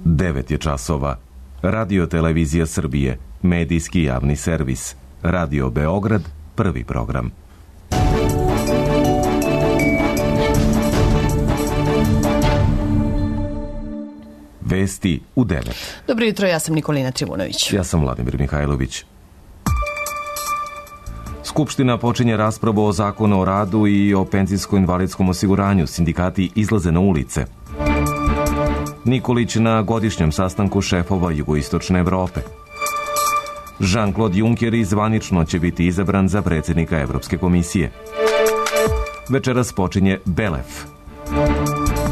9 je časova. Radio Televizija Srbije, medijski javni servis. Radio Beograd, prvi program. Vesti u 9. Dobro jutro, ja sam Nikolina Trivunović. Ja sam Vladimir Mihajlović. Skupština počinje raspravu o zakonu o radu i o penzijsko-invalidskom osiguranju. Sindikati izlaze na ulice. Nikolić na godišnjem sastanku šefova jugoistočne Evrope. Jean-Claude Juncker zvanično će biti izabran za predsjednika Evropske komisije. Večeras počinje Belef.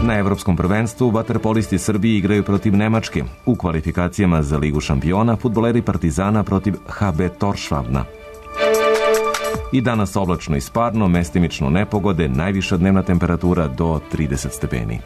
Na Evropskom prvenstvu vaterpolisti Srbije igraju protiv Nemačke. U kvalifikacijama za Ligu šampiona fudbaleri Partizana protiv HB Toršvabna. I danas oblačno i sparno, mestimično nepogode, najviša dnevna temperatura do 30 stepeni.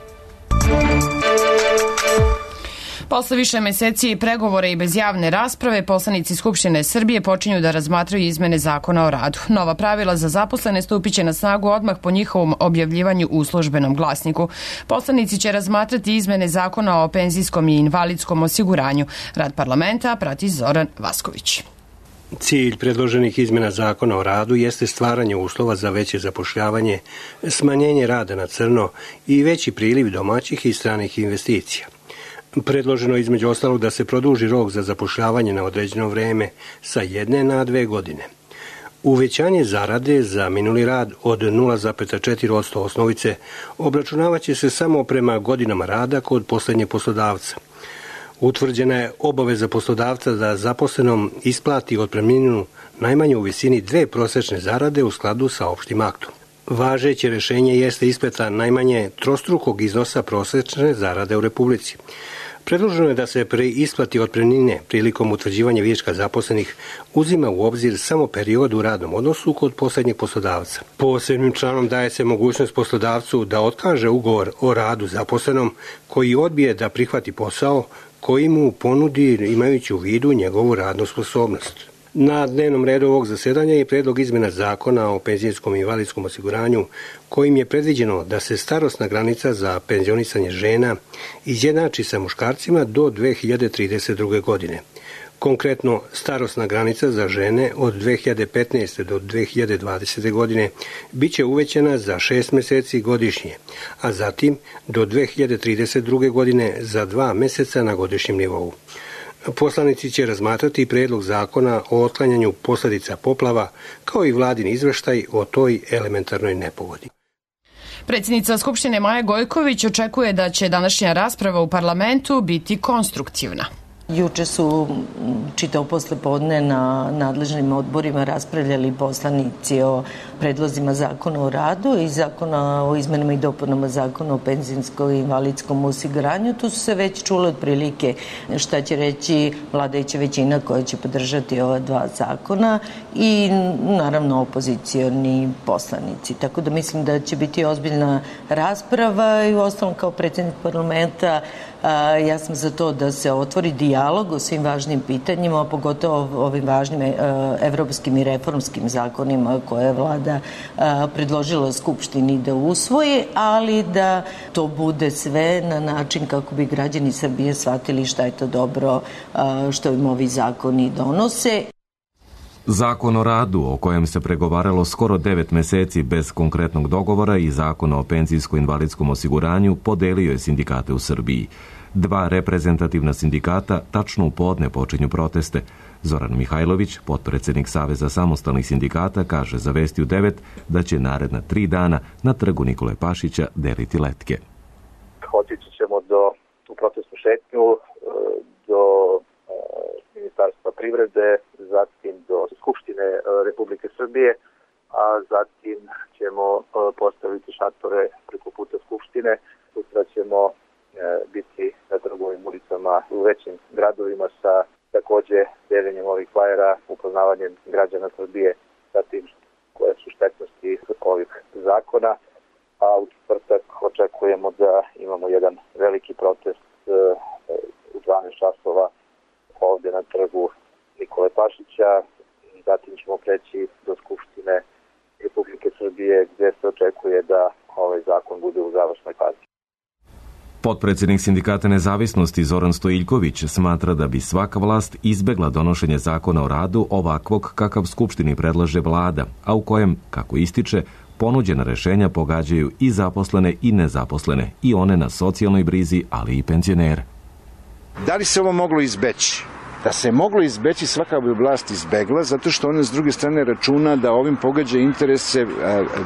Posle više meseci pregovora i bez javne rasprave, poslanici Skupštine Srbije počinju da razmatraju izmene zakona o radu. Nova pravila za zaposlene stupit će na snagu odmah po njihovom objavljivanju u službenom glasniku. Poslanici će razmatrati izmene zakona o penzijskom i invalidskom osiguranju. Rad parlamenta prati Zoran Vasković. Cilj predloženih izmena zakona o radu jeste stvaranje uslova za veće zapošljavanje, smanjenje rada na crno i veći priliv domaćih i stranih investicija. Predloženo između ostalog da se produži rok za zapošljavanje na određeno vreme sa 1 na 2 godine. Uvećanje zarade za minuli rad od 0,4% osnovice obračunavaće se samo prema godinama rada kod poslednjeg poslodavca. Utvrđena je obaveza poslodavca da zaposlenom isplati otpremninu najmanje u visini 2 prosečne zarade u skladu sa opštim aktom. Važeće rešenje jeste isplata najmanje trostrukog iznosa prosečne zarade u Republici. Predloženo je da se pri isplati otpremnine prilikom utvrđivanja viška zaposlenih uzima u obzir samo period u radnom odnosu kod poslednjeg poslodavca. Posebnim članom daje se mogućnost poslodavcu da otkaže ugovor o radu zaposlenom koji odbije da prihvati posao koji mu ponudi imajući u vidu njegovu radnu sposobnost. Na dnevnom redu ovog zasedanja je predlog izmena zakona o penzijskom i invalidskom osiguranju kojim je predviđeno da se starosna granica za penzionisanje žena izjednači sa muškarcima do 2032. godine. Konkretno, starosna granica za žene od 2015. do 2020. godine biće uvećana za 6 meseci godišnje, a zatim do 2032. godine za 2 meseca na godišnjem nivou. Poslanici će razmatrati predlog zakona o otklanjanju posledica poplava, kao i vladin izveštaj o toj elementarnoj nepogodi. Predsjednica Skupštine Maja Gojković očekuje da će današnja rasprava u parlamentu biti konstruktivna. Juče su čitao poslepodne na nadležnim odborima raspravljali poslanici o predlozima zakona o radu i zakona o izmenama i dopunama zakona o penzijskom i invalidskom osiguranju. Tu su se već čule otprilike šta će reći vladajuća većina koja će podržati ova dva zakona i naravno opozicioni poslanici. Tako da mislim da će biti ozbiljna rasprava i uostalom kao predsjednik parlamenta ja sam za to da se otvori dijalog o svim važnim pitanjima, a pogotovo ovim važnim evropskim i reformskim zakonima koje je vlada predložila Skupštini da usvoje, ali da to bude sve na način kako bi građani Srbije shvatili šta je to dobro što im ovi zakoni donose. Zakon o radu, o kojem se pregovaralo skoro 9 meseci bez konkretnog dogovora, i zakon o penzijsko-invalidskom osiguranju podelio je sindikate u Srbiji. 2 reprezentativna sindikata tačno u podne počinju proteste. Zoran Mihajlović, potpredsjednik Saveza samostalnih sindikata, kaže za Vesti u 9 da će naredna 3 dana na trgu Nikole Pašića deliti letke. Otići ćemo u protestnu šetnju do Ministarstva privrede, zatim do Skupštine Republike Srbije, a zatim ćemo postaviti šatore preko puta Skupštine. Sutra ćemo biti na trgovim ulicama u većim gradovima sa takođe deljenjem ovih flajera, upoznavanjem građana Srbije sa tim koje su štetnosti ovih zakona. A u četvrtak očekujemo da imamo jedan veliki protest u 12 časova ovde na trgu Nikole Pašića. Zatim ćemo preći do Skupštine Republike Srbije gde se očekuje da ovaj zakon bude u završnoj fazi. Potpredsjednik Sindikata Nezavisnosti Zoran Stojiljković smatra da bi svaka vlast izbegla donošenje zakona o radu ovakvog kakav Skupštini predlaže vlada, a u kojem, kako ističe, ponuđena rešenja pogađaju i zaposlene i nezaposlene, i one na socijalnoj brizi, ali i penzionere. Da li se ovo moglo izbeći? Da se moglo izbeći, svaka bi vlast izbegla, zato što ona s druge strane računa da ovim pogađa interese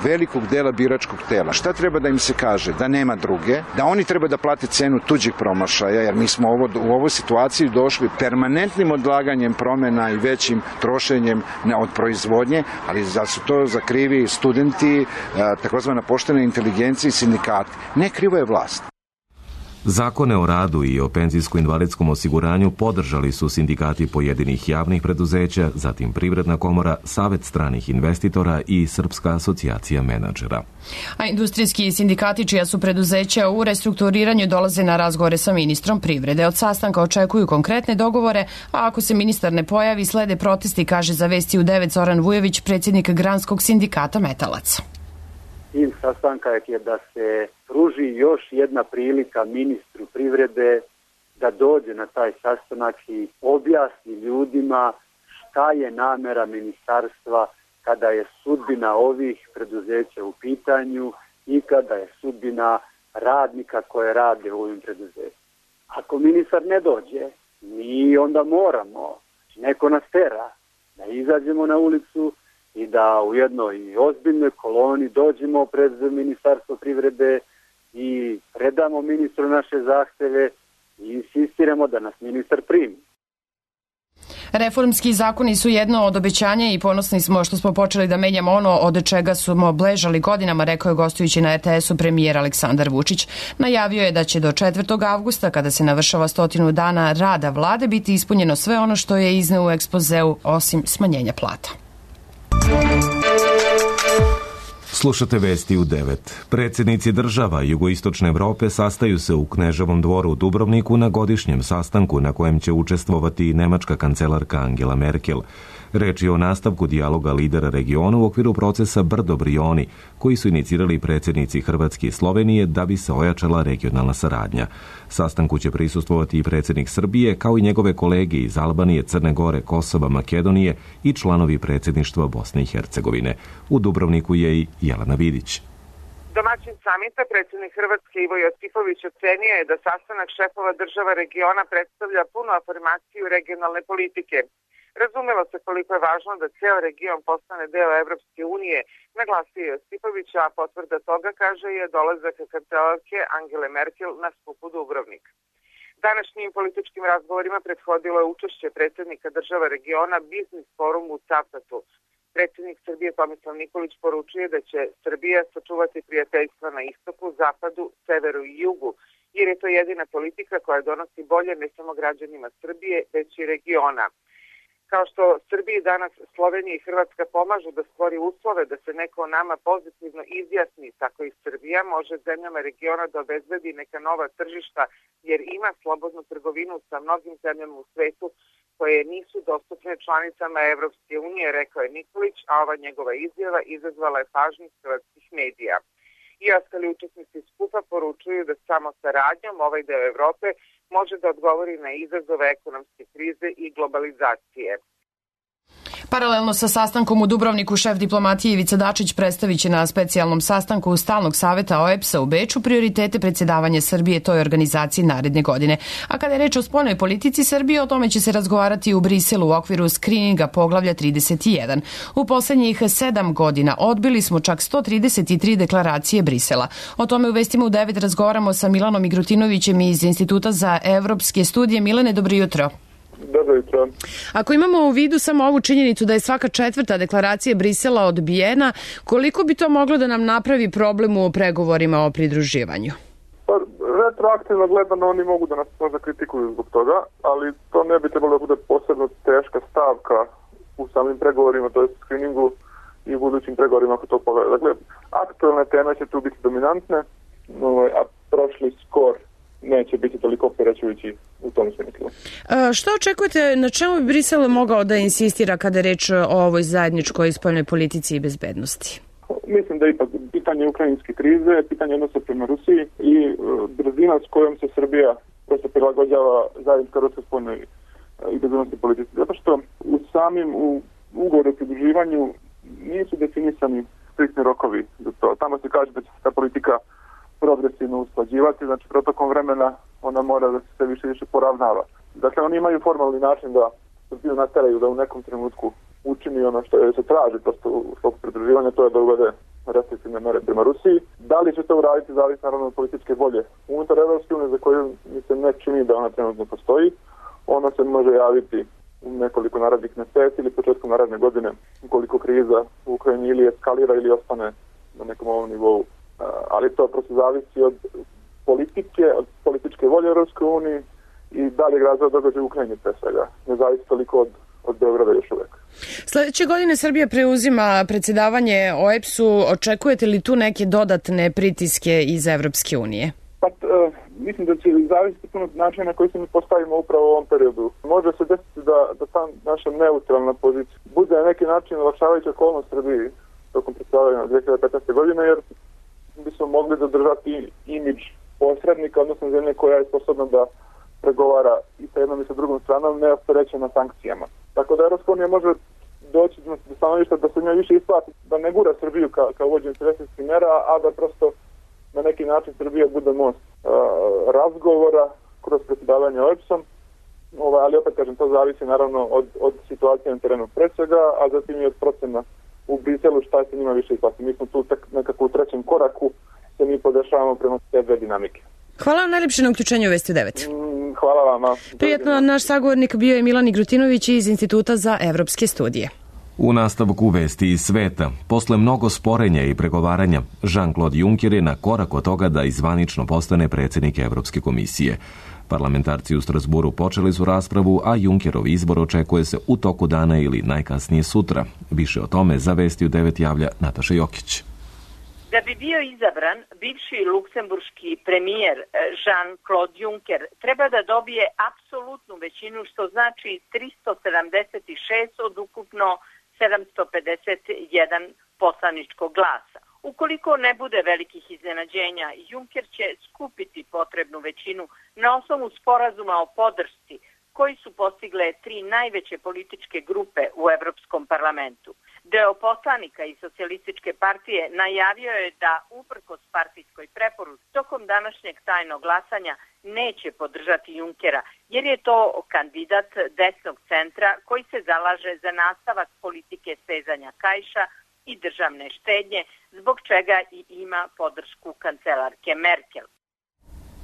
velikog dela biračkog tela. Šta treba da im se kaže? Da nema druge, da oni treba da plate cenu tuđih promašaja, jer mi smo u ovoj situaciji došli permanentnim odlaganjem promena i većim trošenjem od proizvodnje, ali da su to zakrivi studenti, takozvana poštena inteligencija i sindikati. Ne, krivo je vlast. Zakone o radu i o penzijsko-invalidskom osiguranju podržali su sindikati pojedinih javnih preduzeća, zatim Privredna komora, Savet stranih investitora i Srpska asocijacija menadžera. A industrijski sindikati čija su preduzeća u restrukturiranju dolaze na razgovore sa ministrom privrede. Od sastanka očekuju konkretne dogovore, a ako se ministar ne pojavi, slede protesti, kaže za Vesti u 9 Zoran Vujović, predsjednik Granskog sindikata Metalac. Cilj sastanka je da se pruži još jedna prilika ministru privrede da dođe na taj sastanak i objasni ljudima šta je namera ministarstva kada je sudbina ovih preduzeća u pitanju i kada je sudbina radnika koje rade u ovim preduzećima. Ako ministar ne dođe, mi onda moramo, neko nas tera, da izađemo na ulicu i da u jednoj ozbiljnoj koloni dođemo pred Ministarstvo privrede i predamo ministru naše zahteve i insistiramo da nas ministar primi. Reformski zakoni su jedno od obećanja i ponosni smo što smo počeli da menjamo ono od čega smo bležali godinama, rekao je gostujući na RTS-u premijer Aleksandar Vučić. Najavio je da će do 4. avgusta, kada se navršava 100 dana rada vlade, biti ispunjeno sve ono što je izneo u ekspozeu, osim smanjenja plata. Slušate Vesti u 9. Predsjednici država jugoistočne Evrope sastaju se u Kneževom dvoru u Dubrovniku na godišnjem sastanku na kojem će učestvovati i nemačka kancelarka Angela Merkel. Reč je o nastavku dijaloga lidera regiona u okviru procesa Brdo-Brioni, koji su inicirali predsjednici Hrvatske i Slovenije da bi se ojačala regionalna saradnja. Sastanku će prisustvovati i predsjednik Srbije, kao i njegove kolege iz Albanije, Crne Gore, Kosova, Makedonije i članovi predsjedništva Bosne i Hercegovine. U Dubrovniku je i Jelena Vidić. Domaćin samita, predsjednik Hrvatske Ivo Josipović, ocenio je da sastanak šefova država regiona predstavlja punu afirmaciju regionalne politike. Razumelo se koliko je važno da ceo region postane deo Evropske unije, naglasio Josipović, a potvrda toga, kaže, je dolazak kancelarke Angele Merkel na skupu Dubrovnik. Današnjim političkim razgovorima prethodilo je učešće predsjednika država regiona Biznis forum u Cavtatu. Predsjednik Srbije Tomislav Nikolić poručuje da će Srbija sačuvati prijateljstva na istoku, zapadu, severu i jugu, jer je to jedina politika koja donosi bolje ne samo građanima Srbije, već i regiona. Kao što Srbiji danas Slovenija i Hrvatska pomažu da stvori uslove da se neko o nama pozitivno izjasni, tako i Srbija može zemljama regiona da obezbedi neka nova tržišta, jer ima slobodnu trgovinu sa mnogim zemljama u svetu koje nisu dostupne članicama Evropske unije, rekao je Nikolić, a ova njegova izjava izazvala je pažnju hrvatskih medija. I ostali učesnici skupa poručuju da samo saradnjom ovaj deo Evrope može da odgovori na izazove ekonomske krize i globalizacije. Paralelno sa sastankom u Dubrovniku, šef diplomatije Ivica Dačić predstavit će na specijalnom sastanku Stalnog saveta OEBS-a u Beču prioritete predsjedavanja Srbije toj organizaciji naredne godine. A kada je reč o spoljnoj politici Srbije, o tome će se razgovarati u Briselu u okviru skrininga poglavlja 31. U poslednjih 7 godina odbili smo čak 133 deklaracije Brisela. O tome u Vestima u 9 razgovaramo sa Milanom Igrutinovićem iz Instituta za evropske studije. Milane, dobro jutro. Dobro jutro. Ako imamo u vidu samo ovu činjenicu da je svaka 4. deklaracija Brisela odbijena, koliko bi to moglo da nam napravi problem u pregovorima o pridruživanju? Pa, retroaktivno gledano oni mogu da nas možda kritikuju zbog toga, ali to ne bi trebalo da bude posebno teška stavka u samim pregovorima, to je screeningu i u budućim pregovorima ako to pogleda. Dakle, aktualne teme će tu biti dominantne, a prošli skor neće biti toliko opterećujući u tom smislu. Što očekujete, na čemu bi Brisel mogao da insistira kada je reč o ovoj zajedničkoj spoljnoj politici i bezbednosti? Mislim da ipak pitanje ukrajinske krize, pitanje odnosa prema Rusiji i brzina brzina s kojom se Srbija prosto prilagođava zajedničkoj ruskoj spoljnoj i bezbednosnoj politici. Zato što u samim ugovoru o pridruživanju nisu definisani striktni rokovi za to. Tamo se kaže da će se ta politika progresivno usklađivati, znači protokom vremena ona mora da se sve više i više poravnava. Dakle, oni imaju formalni način da Srbiju nateraju da u nekom trenutku učini ono što se traži prosto u sklopu pridruživanja, to je da uvede restriktivne mere prema Rusiji. Da li će to uraditi, zavisi naravno od političke volje unutar Evropske unije, za koju mi se ne čini da ona trenutno postoji. Ona se može javiti u nekoliko narednih meseci ili početkom naredne godine, ukoliko kriza u Ukrajini ili eskalira ili ostane na nekom ovom nivou. Ali to prosto zavisi od političke volje Evropske unije i daljeg razvoja događaja u Ukrajini pre svega. Ne zavisi toliko od Beograda još uvek. Sledeće godine Srbija preuzima predsjedavanje OEBS-u. Očekujete li tu neke dodatne pritiske iz Evropske unije? Pa, mislim da će zavisiti puno načina na koji se mi postavimo upravo u ovom periodu. Može se desiti da ta naša neutralna pozicija bude na neki način olakšavajuća okolnost Srbiji tokom predsjedavanja 2015. godine, jer bismo mogli zadržati imidž posrednika, odnosno zemlje koja je sposobna da pregovara i sa jednom i sa drugom stranom, neopterećena sankcijama. Tako da Evropska unija može doći do stanovišta da se njoj više isplati, da ne gura Srbiju kao uvođenje restriktivnih mera, a da prosto na neki način Srbija bude most razgovora kroz predsjedavanje OEBS-om, ali opet kažem, to zavisi naravno od situacije na terenu pre svega, a zatim i od procena u Briselu šta se njima više isplati. Mi smo tu nekako u trećem koraku, se mi podešavamo prema te dve dinamike. Hvala vam najljepše na uključenju u Vesti 9. Hvala vama. Prijetno, naš sagovornik bio je Milan Igrutinović iz Instituta za evropske studije. U nastavku vesti iz sveta, posle mnogo sporenja i pregovaranja, Jean-Claude Juncker je na korak od toga da zvanično postane predsjednik Evropske komisije. Parlamentarci u Strasburu počeli su raspravu, a Junckerov izbor očekuje se u toku dana ili najkasnije sutra. Više o tome za Vesti u 9 javlja Nataša Jokić. Da bi bio izabran, bivši luksemburški premijer Jean-Claude Juncker treba da dobije apsolutnu većinu, što znači 376 od ukupno 751 poslaničkog glasa. Ukoliko ne bude velikih iznenađenja, Juncker će skupiti potrebnu većinu na osnovu sporazuma o podršci koji su postigle 3 najveće političke grupe u Evropskom parlamentu. Deo poslanika iz Socijalističke partije najavio je da uprkos partijskoj preporuci tokom današnjeg tajnog glasanja neće podržati Junckera, jer je to kandidat desnog centra koji se zalaže za nastavak politike stezanja kaiša i državne štednje, zbog čega i ima podršku kancelarke Merkel.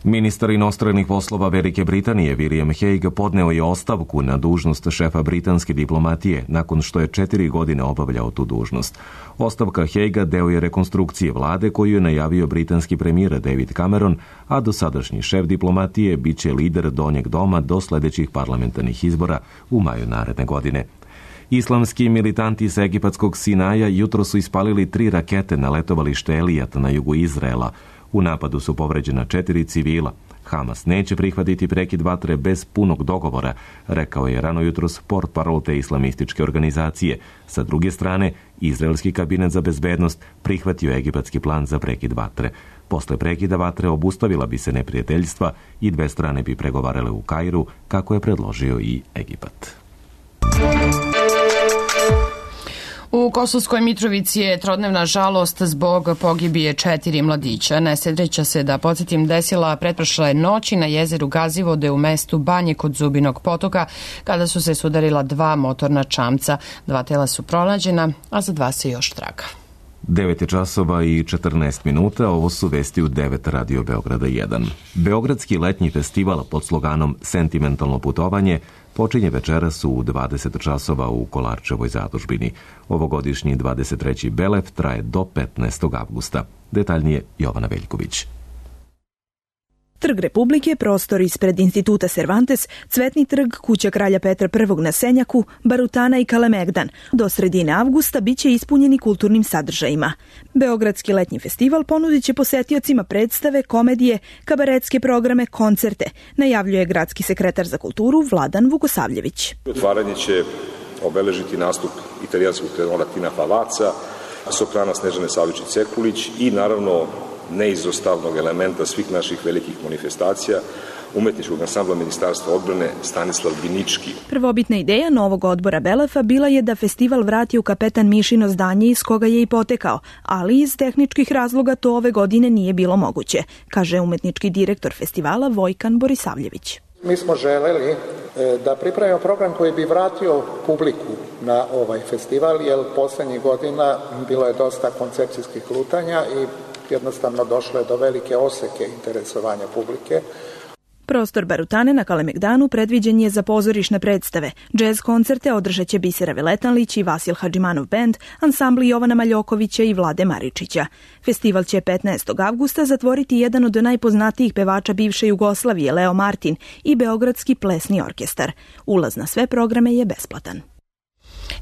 Ministar inostranih poslova Velike Britanije William Hague podneo je ostavku na dužnost šefa britanske diplomatije nakon što je 4 godine obavljao tu dužnost. Ostavka Hagea deo je rekonstrukcije vlade koju je najavio britanski premijer David Cameron, a dosadašnji šef diplomatije biće lider Donjeg doma do sljedećih parlamentarnih izbora u maju naredne godine. Islamski militanti iz egipatskog Sinaja jutro su ispalili 3 rakete na letovalište Elijat na jugu Izraela. U napadu su povređena 4 civila. Hamas neće prihvatiti prekid vatre bez punog dogovora, rekao je rano jutros portparol te islamističke organizacije. Sa druge strane, izraelski kabinet za bezbednost prihvatio egipatski plan za prekid vatre. Posle prekida vatre obustavila bi se neprijateljstva i 2 strane bi pregovarale u Kairu, kako je predložio i Egipat. U Kosovskoj Mitrovici je trodnevna žalost zbog pogibije 4 mladića. Nesreća se, da podsjetim, desila pretprošle noći na jezeru Gazivode u mestu Banje kod Zubinog potoka, kada su se sudarila 2 motorna čamca. 2 tela su pronađena, a za 2 se još traga. 9 časova i 14 minuta, ovo su vesti u 9 Radio Beograda 1. Beogradski letnji festival pod sloganom Sentimentalno putovanje počinje večeras u 20 časova u Kolarčevoj zadužbini. Ovogodišnji 23. Belev traje do 15. avgusta. Detaljnije Jovana Veljković. Trg Republike, prostor ispred Instituta Cervantes, Cvetni trg, kuća kralja Petra I na Senjaku, Barutana i Kalemegdan. Do sredine avgusta bit će ispunjeni kulturnim sadržajima. Beogradski letnji festival ponudit će posetiocima predstave, komedije, kabaretske programe, koncerte, najavljuje gradski sekretar za kulturu Vladan Vukosavljević. Otvaranje će obeležiti nastup italijanskog tenora Tina Favaca, soprana Snežane Savičić-Cekulić i naravno neizostavnog elementa svih naših velikih manifestacija, umetničkog ansambla Ministarstva odbrane Stanislav Binički. Prvobitna ideja novog odbora Belefa bila je da festival vrati u Kapetan Mišino zdanje iz koga je i potekao, ali iz tehničkih razloga to ove godine nije bilo moguće, kaže umetnički direktor festivala Vojkan Borisavljević. Mi smo želeli da pripremimo program koji bi vratio publiku na ovaj festival, jer poslednjih godina bilo je dosta koncepcijskih lutanja i jednostavno došlo je do velike oseke interesovanja publike. Prostor Barutane na Kalemegdanu predviđen je za pozorišne predstave. Džez koncerte održat će Bisera Veletanlić i Vasil Hadžimanov bend, ansambli Jovana Maljokovića i Vlade Maričića. Festival će 15. avgusta zatvoriti jedan od najpoznatijih pevača bivše Jugoslavije, Leo Martin, i Beogradski plesni orkestar. Ulaz na sve programe je besplatan.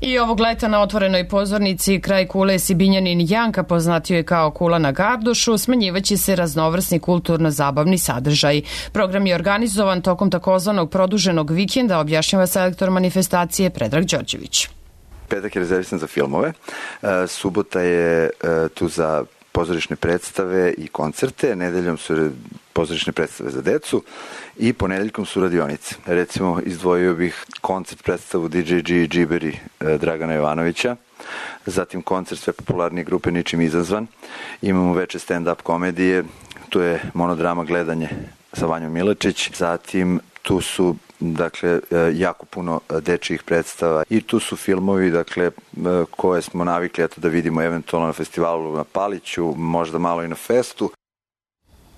I ovog leta na otvorenoj pozornici kraj kule Sibinjanin Janka, poznatio je kao Kula na Gardušu, smanjivaće se raznovrsni kulturno-zabavni sadržaj. Program je organizovan tokom takozvanog produženog vikenda, objašnjava selektor manifestacije Predrag Đorđević. Petak je rezervisan za filmove, subota je tu za pozorišne predstave i koncerte, nedeljom su pozorišne predstave za decu i ponedeljkom su radionice. Recimo, izdvojio bih koncert predstavu DJG i Džiberi Dragana Jovanovića, zatim koncert sve popularnije grupe Ničim izazvan, imamo veče stand-up komedije, tu je monodrama Gledanje sa Vanjom Milačić, zatim tu su jako puno dečijih predstava i tu su filmovi koje smo navikli da vidimo eventualno na festivalu na Paliću, možda malo i na Festu.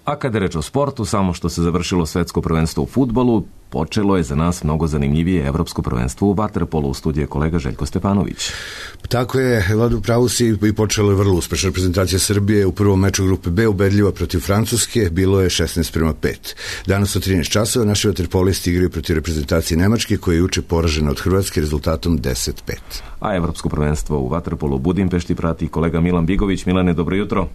A kada je reč o sportu, samo što se završilo svetsko prvenstvo u fudbalu, počelo je za nas mnogo zanimljivije evropsko prvenstvo u vaterpolu. U studiju je kolega Željko Stefanović. Tako je, Vladu, pravu si, i počelo je vrlo uspešna reprezentacija Srbije u prvom meču grupe B ubedljiva protiv Francuske, bilo je 16:5. Danas od 13 časova naši vaterpolisti igraju protiv reprezentacije Nemačke, koja je juče poražena od Hrvatske rezultatom 10:5. A evropsko prvenstvo u vaterpolu u Budimpešti prati kolega Milan Bigović. Milane, dobro jutro.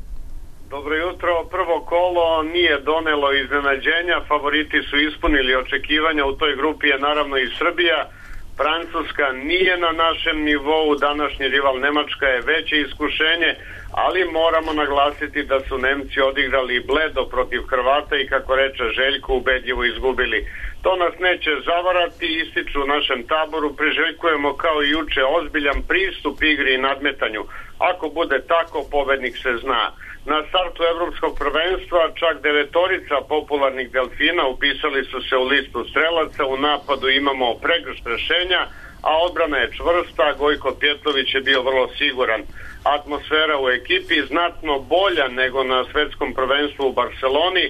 Dobro jutro. Prvo kolo nije donelo iznenađenja, favoriti su ispunili očekivanja, u toj grupi je naravno i Srbija. Francuska nije na našem nivou, današnji rival Nemačka je veće iskušenje, ali moramo naglasiti da su Nemci odigrali bledo protiv Hrvata i, kako reče Željko, ubedljivo izgubili. To nas neće zavarati, ističu u našem taboru, priželjkujemo kao i juče ozbiljan pristup igri i nadmetanju. Ako bude tako, pobednik se zna. Na startu evropskog prvenstva čak 9 popularnih delfina upisali su se u listu strelaca, u napadu imamo pregršt rešenja, a odbrana je čvrsta, Gojko Pjetlović je bio vrlo siguran. Atmosfera u ekipi znatno bolja nego na svetskom prvenstvu u Barceloni.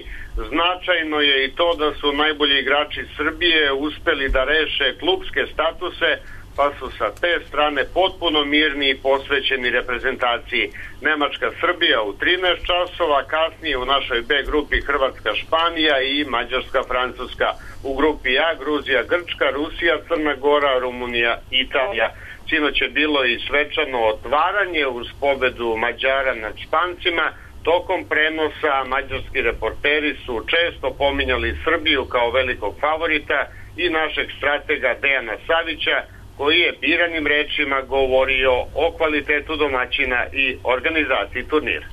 Značajno je i to da su najbolji igrači Srbije uspeli da reše klubske statuse, pa su sa te strane potpuno mirni i posvećeni reprezentaciji. Nemačka-Srbija u 13 časova, kasnije u našoj B grupi Hrvatska-Španija i Mađarska-Francuska. U grupi A Gruzija-Grčka, Rusija-Crna Gora, Rumunija-Italija. Sinoć je bilo i svečano otvaranje uz pobedu Mađara nad Špancima. Tokom prenosa mađarski reporteri su često pominjali Srbiju kao velikog favorita i našeg stratega Dejana Savića, koji je biranim rečima govorio o kvalitetu domaćina i organizaciji turnira.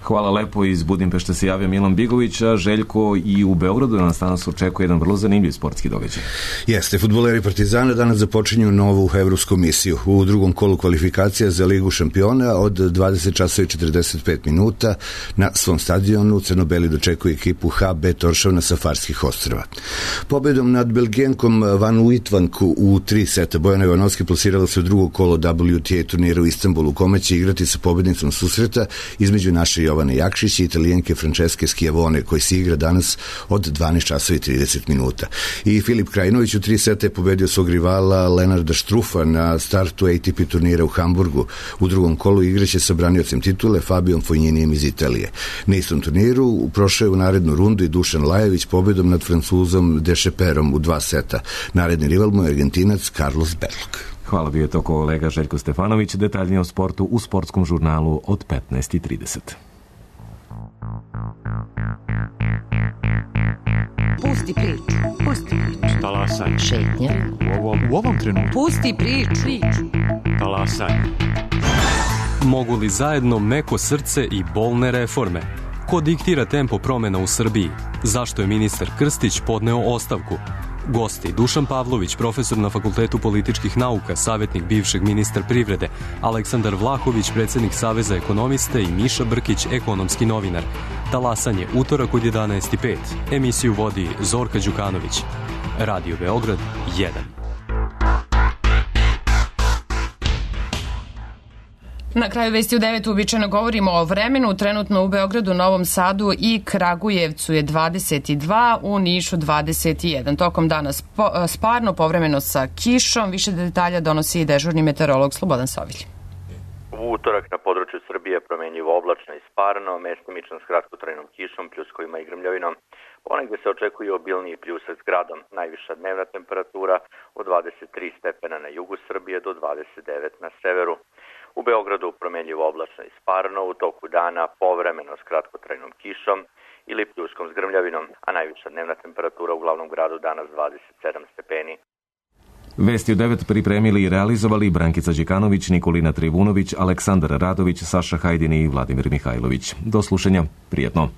Hvala lepo, iz Budimpešte se javio Milan Bigović, a Željko, i u Beogradu nas danas očekuje jedan vrlo zanimljiv sportski događaj. Jeste, fudbaleri Partizana danas započinju novu evropsku misiju. U drugom kolu kvalifikacija za Ligu šampiona od 20:45 na svom stadionu crno-beli dočekuju ekipu HB Toršovna sa Farskih ostrva. Pobedom nad Belgijenkom Van Uitvanku u 3 seta Bojana Ivanovski plasirala se u drugo kolo WTA turnira u Istanbulu, u kome će igrati sa pobednicom susreta između naše Jovane Jakšić i Italijenke Franceske Schiavone, koji se igra danas od 12:30. I Filip Krajinović u 3 seta je pobedio svog rivala Lenarda Štrufa na startu ATP turnira u Hamburgu. U drugom kolu igraće sa braniocem titule Fabijom Fogninijem iz Italije. Na istom turniru prošao je u narednu rundu i Dušan Lajević pobedom nad Francuzom Dešeperom u 2 seta. Naredni rival mu je Argentinac Carlos Berlog. Hvala, bio je to kolega Željko Stefanović. Detaljnije o sportu u sportskom žurnalu od 15:30. Pusti priču. Talasaj. Šetnja. U ovom trenutku. Pusti priču. Talasaj. Mogu li zajedno meko srce i bolne reforme? Ko diktira tempo promjena u Srbiji? Zašto je ministar Krstić podneo ostavku? Gosti: Dušan Pavlović, profesor na Fakultetu političkih nauka, savjetnik bivšeg ministra privrede, Aleksandar Vlahović, predsjednik Saveza ekonomista i Miša Brkić, ekonomski novinar. Talasanje, utorak od 11:05. Emisiju vodi Zorka Đukanović. Radio Beograd 1. Na kraju vesti u 9 uobičajeno govorimo o vremenu. Trenutno u Beogradu, Novom Sadu i Kragujevcu je 22, u Nišu 21. Tokom dana sparno, povremeno sa kišom. Više detalja donosi i dežurni meteorolog Slobodan Sovilj. U utorak na području Srbije promenljivo oblačno i sparno, mestimično s kratkotrajnom kišom, pljuskovima i grmljovinom. Ponegde se očekuje obilniji pljusak s gradom. Najviša dnevna temperatura od 23 stepena na jugu Srbije do 29 na severu. U Beogradu promenljivo oblačno i sparno, u toku dana povremeno s kratkotrajnom kišom ili pljuskom s grmljavinom, a najviša dnevna temperatura u glavnom gradu danas 27 stepeni. Vesti u 9 pripremili i realizovali Brankica Đikanović, Nikolina Trivunović, Aleksandar Radović, Saša Hajdini i Vladimir Mihajlović. Do slušanja, prijetno.